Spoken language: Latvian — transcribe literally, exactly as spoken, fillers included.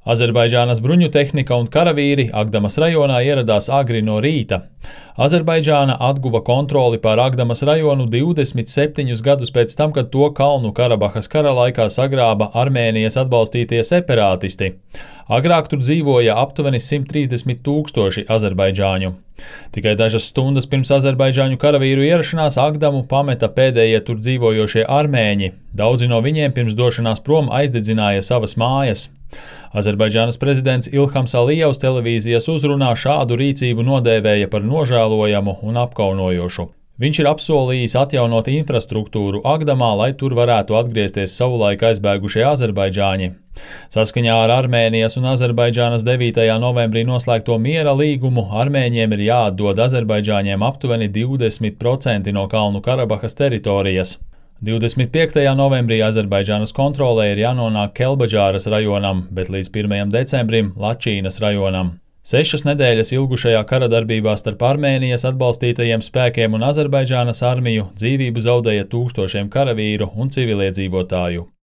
Azerbaidžānas bruņu tehnika un karavīri Agdamas rajonā ieradās agri no rīta. Azerbaidžāna atguva kontroli pār Agdamas rajonu divdesmit septiņus gadus pēc tam, kad to Kalnu Karabahas kara laikā sagrāba Armēnijas atbalstītie separātisti. Agrāk tur dzīvoja aptuveni simt trīsdesmit tūkstoši azerbaidžāņu. Tikai dažas stundas pirms azerbaidžāņu karavīru ierašanās Agdamu pameta pēdējie tur dzīvojošie armēņi. Daudzi no viņiem pirms došanās prom aizdedzināja savas mājas. Azerbaidžānas prezidents Ilhams Alijevs televīzijas uzrunā šādu rīcību nodēvēja par nožēlojamu un apkaunojošu. Viņš ir apsolījis atjaunot infrastruktūru Agdamā, lai tur varētu atgriezties savulaik aizbēgušie azerbaidžāņi. Saskaņā ar Armēnijas un Azerbaidžānas devītajā novembrī noslēgto miera līgumu Armēņiem ir jāatdod azerbaidžāņiem aptuveni divdesmit procenti no Kalnu Karabahas teritorijas. divdesmit piektajā novembrī Azerbaidžānas kontrolē ir jānonāk Kelbadžāras rajonam, bet līdz pirmajam decembrim Lačīnas rajonam. Sešas nedēļas ilgušajā kara darbībā starp Armēnijas atbalstītajiem spēkiem un Azerbaidžānas armiju dzīvību zaudēja tūkstošiem karavīru un civiliedzīvotāju.